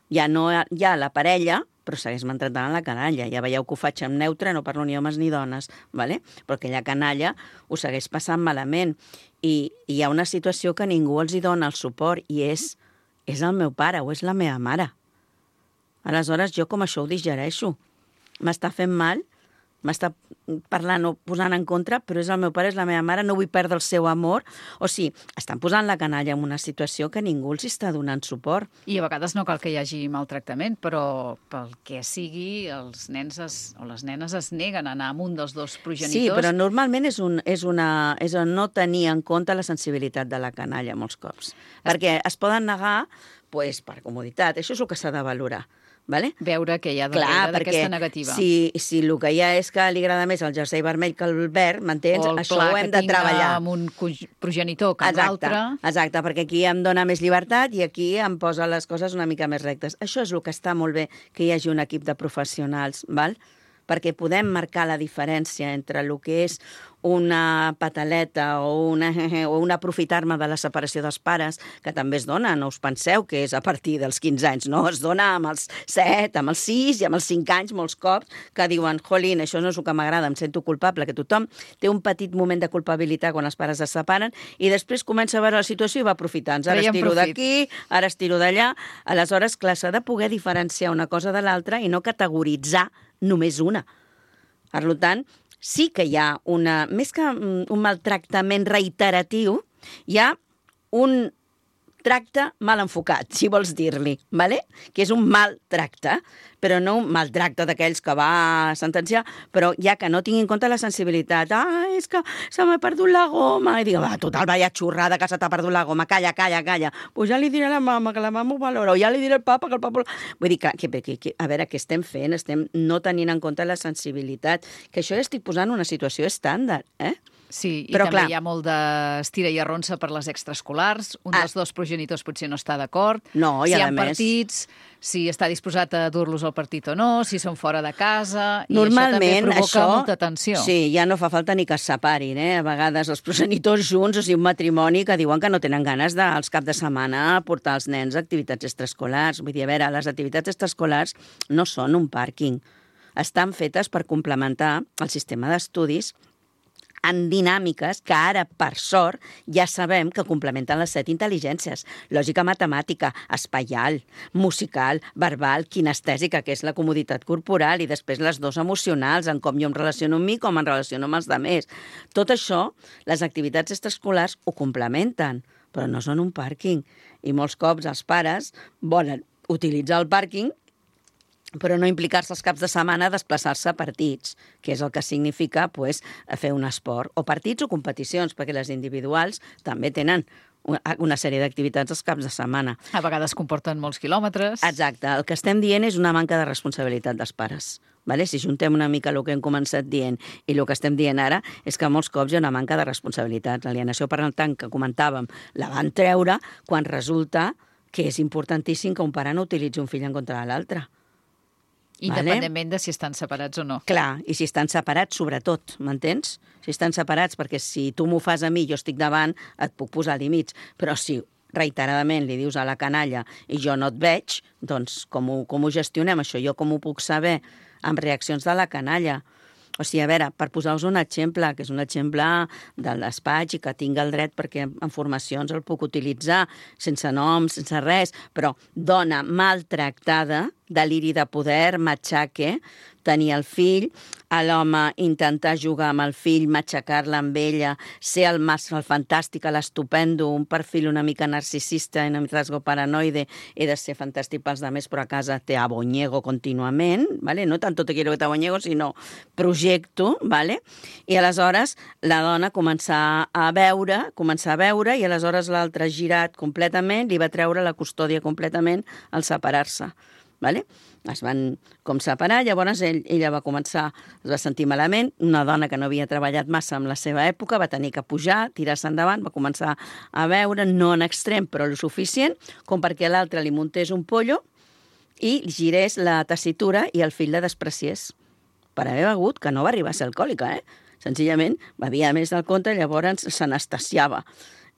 Ja no hi ha la parella, però segueix maltractant a la canalla. Ja veieu que ho faig en neutre, no parlo ni homes ni dones, ¿vale? Però aquella canalla ho segueix passant malament. I hi ha una situació que ningú els hi dona el suport i és el meu pare o és la meva mare. Aleshores, jo com això ho digereixo. M'està fent mal, m'està parlant o posant en contra, però és el meu pare, és la meva mare, no vull perdre el seu amor. O sigui, estan posant la canalla en una situació que ningú els està donant suport. I a vegades no cal que hi hagi maltractament, però pel que sigui, els nens o les nenes es neguen a anar amb un dels dos progenitors. Sí, però normalment és no tenir en compte la sensibilitat de la canalla molts cops. Perquè es poden negar per comoditat. Això és el que s'ha de valorar. Vale? Veure que hi ha darrere d'aquesta negativa. Si el que hi ha és que li agrada més el jersei vermell que el verd, m'entens? Això ho hem de treballar. O el pla que tinc amb un progenitor que amb l'altre. Exacte, perquè aquí em dona més llibertat i aquí em posa les coses una mica més rectes. Això és el que està molt bé, que hi hagi un equip de professionals, val? Perquè podem marcar la diferència entre el que és una pataleta o un aprofitar-me de la separació dels pares, que també es dona, no us penseu que és a partir dels 15 anys, no, es dona amb els 7, amb els 6 i amb els 5 anys molts cops, que diuen, jolín, això no és el que m'agrada, em sento culpable, que tothom té un petit moment de culpabilitat quan els pares es separen i després comença a veure la situació i va aprofitant. Ara estiro d'aquí, ara estiro d'allà. Aleshores, clar, s'ha de poder diferenciar una cosa de l'altra i no categoritzar només una. Per tant, sí que hi ha més que un maltractament reiteratiu, hi ha un tracte mal enfocat, si vols dir-li, ¿vale? Que és un maltracte, però no un maltracte d'aquells que va sentenciar, però ja que no tingui en compte la sensibilitat. És que se m'ha perdut la goma. I dic, total, vaya xurrada que se t'ha perdut la goma, calla. Pues ja li diré a la mama, que la mama ho valora, o ja li diré al papa, que el papa... Vull dir, que a veure, què estem fent? Estem no tenint en compte la sensibilitat, que això ja estic posant una situació estàndard, Sí, i però, també clar, hi ha molt d'estira i arronsa per les extraescolars. Un dels dos progenitors potser no està d'acord. No, i si hi a ha més... partits, si està disposat a dur-los al partit o no, si són fora de casa... Normalment, I això també provoca molta tensió. Sí, ja no fa falta ni que es separin, A vegades els progenitors junts, o sigui, un matrimoni que diuen que no tenen ganes als caps de setmana portar els nens a activitats extraescolars. Vull dir, a veure, les activitats extraescolars no són un pàrquing. Estan fetes per complementar el sistema d'estudis en dinàmiques que ara, per sort, ja sabem que complementen les 7 intel·ligències. Lògica matemàtica, espaial, musical, verbal, kinestèsica, que és la comoditat corporal, i després les 2 emocionals, en com jo em relaciono amb mi, com em relaciono amb els altres. Tot això, les activitats extraescolars ho complementen, però no són un pàrquing. I molts cops els pares volen utilitzar el pàrquing però no implicar-se els caps de setmana a desplaçar-se a partits, que és el que significa fer un esport, o partits o competicions, perquè les individuals també tenen una sèrie d'activitats els caps de setmana. A vegades comporten molts quilòmetres. Exacte. El que estem dient és una manca de responsabilitat dels pares. Vale? Si juntem una mica el que hem començat dient i el que estem dient ara, és que molts cops hi ha una manca de responsabilitat. L'alienació parental que comentàvem la van treure quan resulta que és importantíssim que un pare no utilitzi un fill en contra de l'altre. Independentment de si estan separats o no. Clar, i si estan separats, sobretot, m'entens? Si estan separats, perquè si tu m'ho fas a mi, jo estic davant, et puc posar límits. Però si reiteradament li dius a la canalla i jo no et veig, doncs com ho gestionem això? Jo com ho puc saber? Amb reaccions de la canalla. O sigui, a veure, per posar-vos un exemple, que és un exemple de despatx i que tinc el dret perquè en formacions el puc utilitzar, sense noms, sense res, però dona maltractada, deliri de poder, matxaque, tenir el fill, a l'home intentar jugar amb el fill, matxacar-la amb ella, ser el fantàstic, l'estupendo, un perfil una mica narcisista, una mica rasgo paranoide, he de ser fantàstic pels altres, però a casa te abonyego contínuament, ¿vale? No tanto te quiero que te abonyego, sinó projecto, ¿vale? I aleshores la dona començar a veure, i aleshores l'altre girat completament, li va treure la custòdia completament al separar-se. Vale? Es van com separar, llavors ella va començar, es va sentir malament, una dona que no havia treballat massa en la seva època, va tenir que pujar, tirar-se endavant, va començar a veure, no en extrem, però el suficient, com perquè l'altre li muntés un pollo i girés la tessitura i el fill la despreciés. Per haver begut, que no va arribar a ser alcohòlica, Senzillament bevia més del compte, llavors s'anestesiava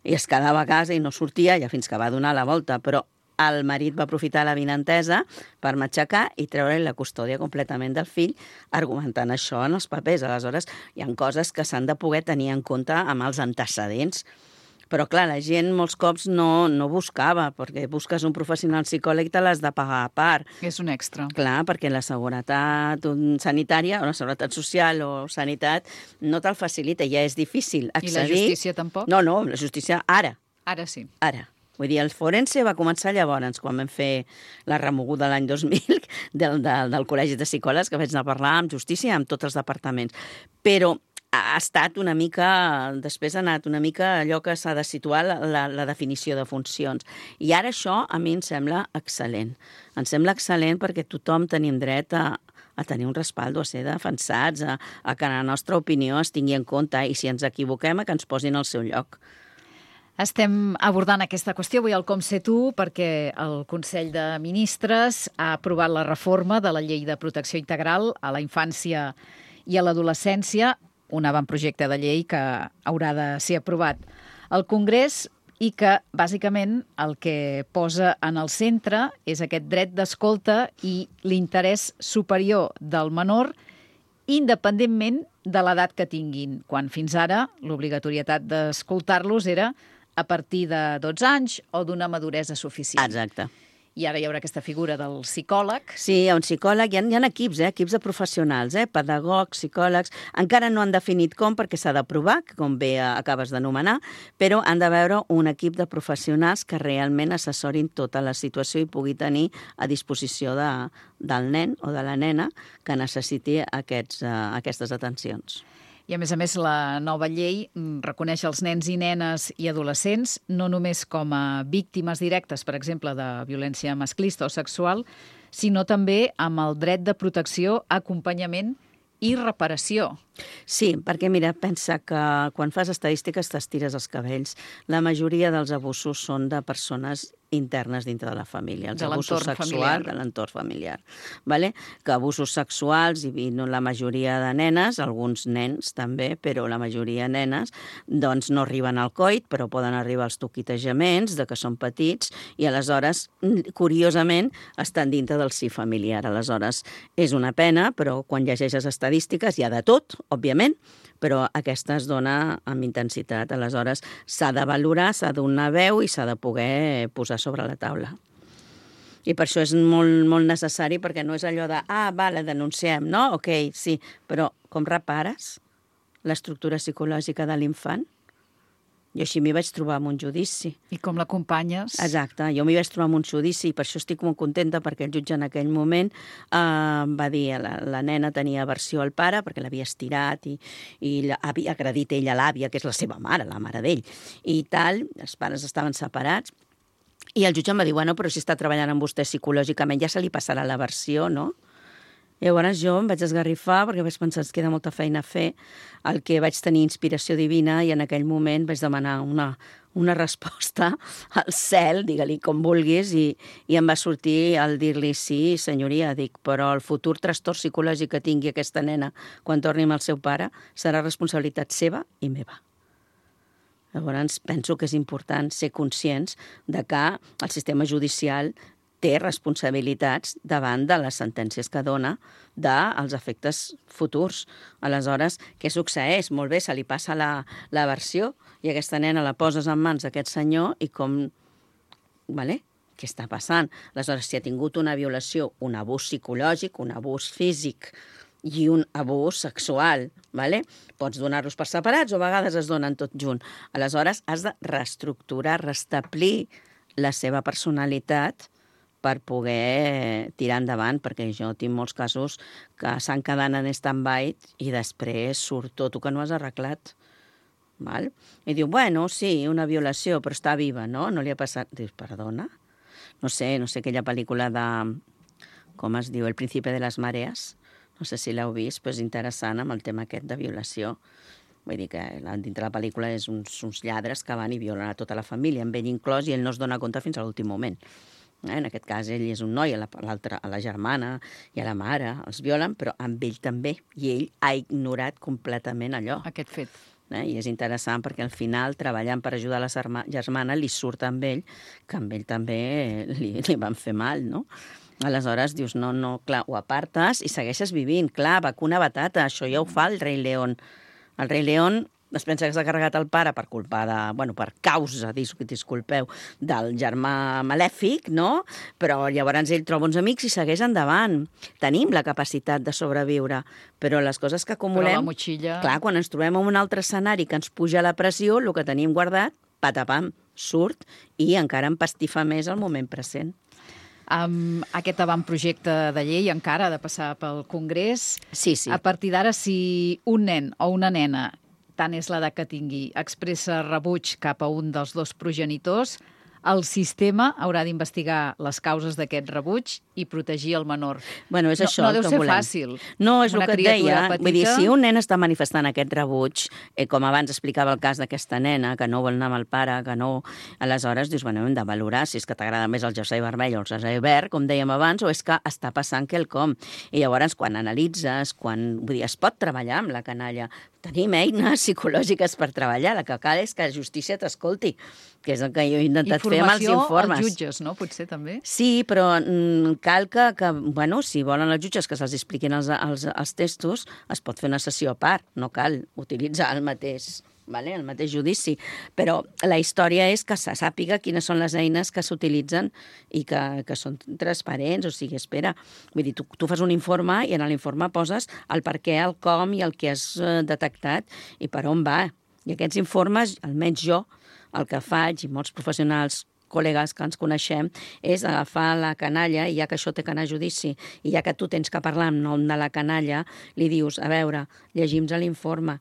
i es quedava a casa i no sortia, ja fins que va donar la volta, però el marit va aprofitar la vinentesa per matxacar i treure la custòdia completament del fill, argumentant això en els papers. Aleshores, hi ha coses que s'han de poder tenir en compte amb els antecedents. Però, clar, la gent molts cops no buscava, perquè busques un professional psicòleg i te l'has de pagar a part. És un extra. Clar, perquè la seguretat sanitària, o la seguretat social o sanitat, no te'l facilita, ja és difícil accedir. I la justícia tampoc? No, la justícia ara. Ara sí. Ara. Vull dir, el forense va començar llavors, quan vam fer la remoguda l'any 2000 del Col·legi de Psicòlegs, que vaig anar a parlar amb justícia amb tots els departaments. Però ha estat una mica, després ha anat una mica allò que s'ha de situar la definició de funcions. I ara això a mi em sembla excel·lent. Em sembla excel·lent perquè tothom tenim dret a tenir un respaldo, a ser defensats, a que la nostra opinió es tingui en compte i si ens equivoquem, a que ens posin al seu lloc. Estem abordant aquesta qüestió avui al Com Ser Tu perquè el Consell de Ministres ha aprovat la reforma de la Llei de Protecció Integral a la infància i a l'adolescència, un avantprojecte de llei que haurà de ser aprovat al Congrés i que, bàsicament, el que posa en el centre és aquest dret d'escolta i l'interès superior del menor independentment de l'edat que tinguin, quan fins ara l'obligatorietat d'escoltar-los era a partir de 12 anys o d'una maduresa suficient. Exacte. I ara hi haurà aquesta figura del psicòleg. Sí, hi ha un psicòleg, hi ha equips, equips de professionals, pedagogs, psicòlegs, encara no han definit com perquè s'ha d'aprovar, com bé acabes d'anomenar, però han de veure un equip de professionals que realment assessorin tota la situació i pugui tenir a disposició del nen o de la nena que necessiti aquestes atencions. I, a més, la nova llei reconeix els nens i nenes i adolescents no només com a víctimes directes, per exemple, de violència masclista o sexual, sinó també amb el dret de protecció, acompanyament i reparació. Sí, perquè, mira, pensa que quan fas estadístiques t'estires els cabells. La majoria dels abusos són de persones internes dintre de la família, els abusos sexuals de l'entorn familiar. Vale? Que abusos sexuals, i no la majoria de nenes, alguns nens també, però la majoria de nenes, doncs no arriben al coit, però poden arribar als toquitejaments, de que són petits, i aleshores, curiosament, estan dintre del si familiar. Aleshores, és una pena, però quan llegeixes estadístiques hi ha de tot, òbviament, però aquesta es dona amb intensitat. Aleshores, s'ha de valorar, s'ha de donar veu i s'ha de poder posar sobre la taula. I per això és molt, molt necessari, perquè no és allò de, vale, denunciem, no? Ok, sí, però com repares l'estructura psicològica de l'infant? Jo així m'hi vaig trobar en un judici. I com l'acompanyes? Exacte, jo m'hi vaig trobar en un judici i per això estic molt contenta perquè el jutge en aquell moment va dir la nena tenia aversió al pare perquè l'havia estirat i havia agredit ella a l'àvia, que és la seva mare, la mare d'ell, i tal, els pares estaven separats. I el jutge em va dir, bueno, però si està treballant amb vostè psicològicament ja se li passarà l'aversió, no? Llavors jo em vaig esgarrifar perquè vaig pensar que queda molta feina a fer, el que vaig tenir inspiració divina i en aquell moment vaig demanar una resposta al cel, digue-li com vulguis, i em va sortir el dir-li sí, senyoria, dic, però el futur trastorn psicològic que tingui aquesta nena quan torni amb el seu pare serà responsabilitat seva i meva. Llavors penso que és important ser conscients de que el sistema judicial té responsabilitats davant de les sentències que dona dels efectes futurs. Aleshores, què succeeix? Molt bé, se li passa la versió i aquesta nena la poses en mans d'aquest senyor i com... Vale? Què està passant? Aleshores, si ha tingut una violació, un abús psicològic, un abús físic i un abús sexual, vale? Pots donar-los per separats o a vegades es donen tot junt. Aleshores, has de reestructurar, restablir la seva personalitat per poder tirar endavant, perquè jo tinc molts casos que s'han quedat en stand-by i després surt tot el que no has arreglat. Val? I diu, bueno, sí, una violació, però està viva, no? No li ha passat... Dius, perdona? No sé aquella pel·lícula de... Com es diu? El príncipe de les marees. No sé si l'heu vist, però és interessant amb el tema aquest de violació. Vull dir que dintre la pel·lícula és uns lladres que van i violen a tota la família, amb ell inclòs, i ell no es dona compte fins a l'últim moment. En aquest cas, ell és un noi, a la germana i a la mare els violen, però amb ell també, i ell ha ignorat completament allò. Aquest fet. I és interessant perquè al final, treballant per ajudar la germana, li surt amb ell, que amb ell també li van fer mal, no? Aleshores dius, no, clar, ho apartes i segueixes vivint. Clar, vacuna batata, això ja ho fa el rei León. El rei León es pensa que s'ha carregat el pare per culpa de... Bueno, per causa, disculpeu, del germà malèfic, no? Però llavors ell troba uns amics i segueix endavant. Tenim la capacitat de sobreviure, però les coses que acumulem... Però la motxilla... Clar, quan ens trobem en un altre escenari que ens puja la pressió, el que tenim guardat, patapam, surt i encara empastifa més el moment present. Amb aquest avantprojecte de llei encara ha de passar pel Congrés. Sí. A partir d'ara, si un nen o una nena, tant és l'edat que tingui, expressa rebuig cap a un dels dos progenitors, el sistema haurà d'investigar les causes d'aquest rebuig i protegir el menor. Bueno, és això no deu que ser volem. fàcil. No, és el que et deia. Petita... Vull dir, si un nen està manifestant aquest rebuig, com abans explicava el cas d'aquesta nena, que no vol anar amb el pare, que no... Aleshores, dius, bueno, hem de valorar si és que t'agrada més el jersei vermell o el jersei verd, com dèiem abans, o és que està passant quelcom. I llavors, quan analitzes, vull dir, es pot treballar amb la canalla. Tenim eines psicològiques per treballar. El que cal és que la justícia t'escolti, que és el que jo he intentat fer amb els informes. Informació als jutges, no? Potser també? Sí, però cal que bueno, si volen els jutges que se'ls expliquin els textos, es pot fer una sessió a part. No cal utilitzar el mateix judici. Però la història és que se sàpiga quines són les eines que s'utilitzen i que són transparents. O sigui, espera, vull dir, tu fas un informe i en l'informe poses el per què, el com i el que has detectat i per on va. I aquests informes, almenys jo, el que faig, i molts professionals, col·legues que ens coneixem, és agafar la canalla, i ja que això té que anar a judici, i ja que tu tens que parlar en nom de la canalla, li dius, a veure, llegim-nos l'informe.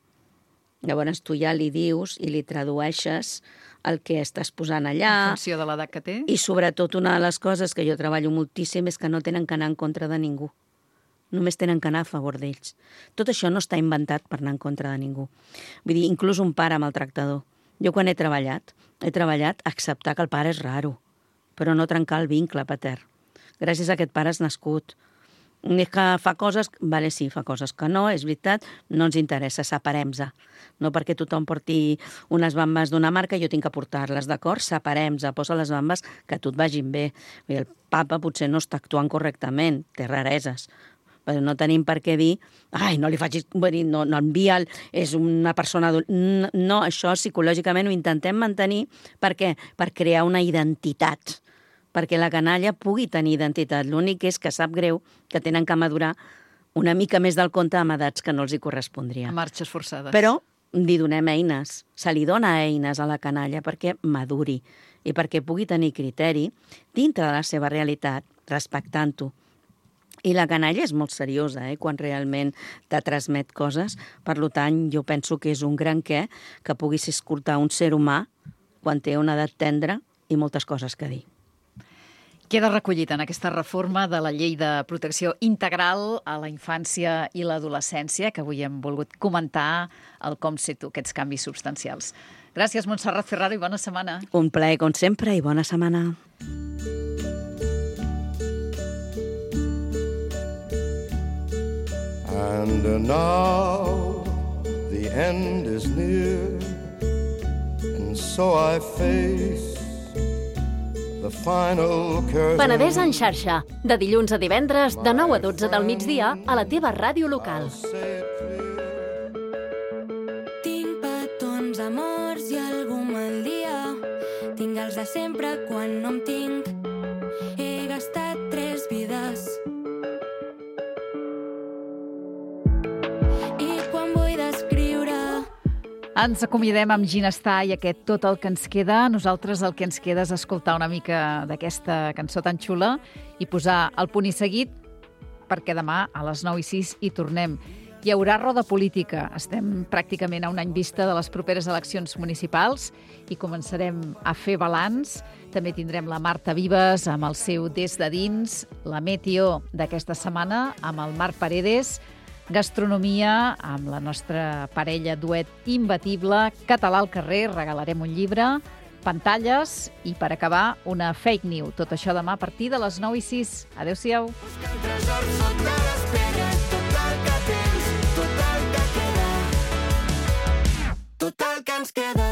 Llavors tu ja li dius i li tradueixes el que estàs posant allà. En funció de l'edat que té. I sobretot una de les coses que jo treballo moltíssim és que no tenen que anar en contra de ningú. Només tenen que anar a favor d'ells. Tot això no està inventat per anar en contra de ningú. Vull dir, inclús un pare maltractador. Jo quan he treballat a acceptar que el pare és raro, però no trencar el vincle patern. Gràcies a aquest pare has nascut. És que fa coses... Vale, sí, fa coses que no, és veritat, no ens interessa, separem-se. No perquè tothom porti unes bambes d'una marca, jo tinc que portar-les, d'acord? Separem-se, posa les bambes que a tu et vagin bé. El papa potser no està actuant correctament, té rareses, però no tenim per què dir ai, no li facis... No envia'l, és una persona... No, això psicològicament ho intentem mantenir. Per què? Per crear una identitat. Perquè la canalla pugui tenir identitat. L'únic és que sap greu que tenen que madurar una mica més del compte amb edats que no els hi correspondria. A marxes forçades. Però li donem eines. Se li dona eines a la canalla perquè maduri i perquè pugui tenir criteri dintre de la seva realitat, respectant-ho. I la canalla és molt seriosa, quan realment te transmet coses. Per tant, jo penso que és un gran què que puguis escoltar un ser humà quan té una edat tendra i moltes coses que dir. Queda recollit en aquesta reforma de la Llei de Protecció Integral a la infància i l'adolescència, que avui hem volgut comentar el com sé tu, aquests canvis substancials. Gràcies, Montserrat Ferraro, i bona setmana. Un plaer, com sempre, i bona setmana. And now the end is near, and so I face the final curtain. Penedès en xarxa, de dilluns a divendres, de 9 a 12 del migdia, a la teva ràdio local. Tinc petons, amors i algú mal dia. Tinc els de sempre quan no em tinc. He gastat 3 vides. Ens acomiadem amb Ginestar i aquest Tot el que ens queda. Nosaltres el que ens queda és escoltar una mica d'aquesta cançó tan xula i posar el punt i seguit, perquè demà a les 9:06 hi tornem. Hi haurà roda política. Estem pràcticament a un any vista de les properes eleccions municipals i començarem a fer balanç. També tindrem la Marta Vives amb el seu Des de dins, la Meteo d'aquesta setmana amb el Marc Paredes, gastronomia amb la nostra parella duet imbatible, Català al carrer, regalarem un llibre, pantalles i, per acabar, una fake news. Tot això demà a partir de les 9:06. Adéu-siau. Busca el tresor sota les pedres, tot el que tens, tot el que queda, tot el que ens queda.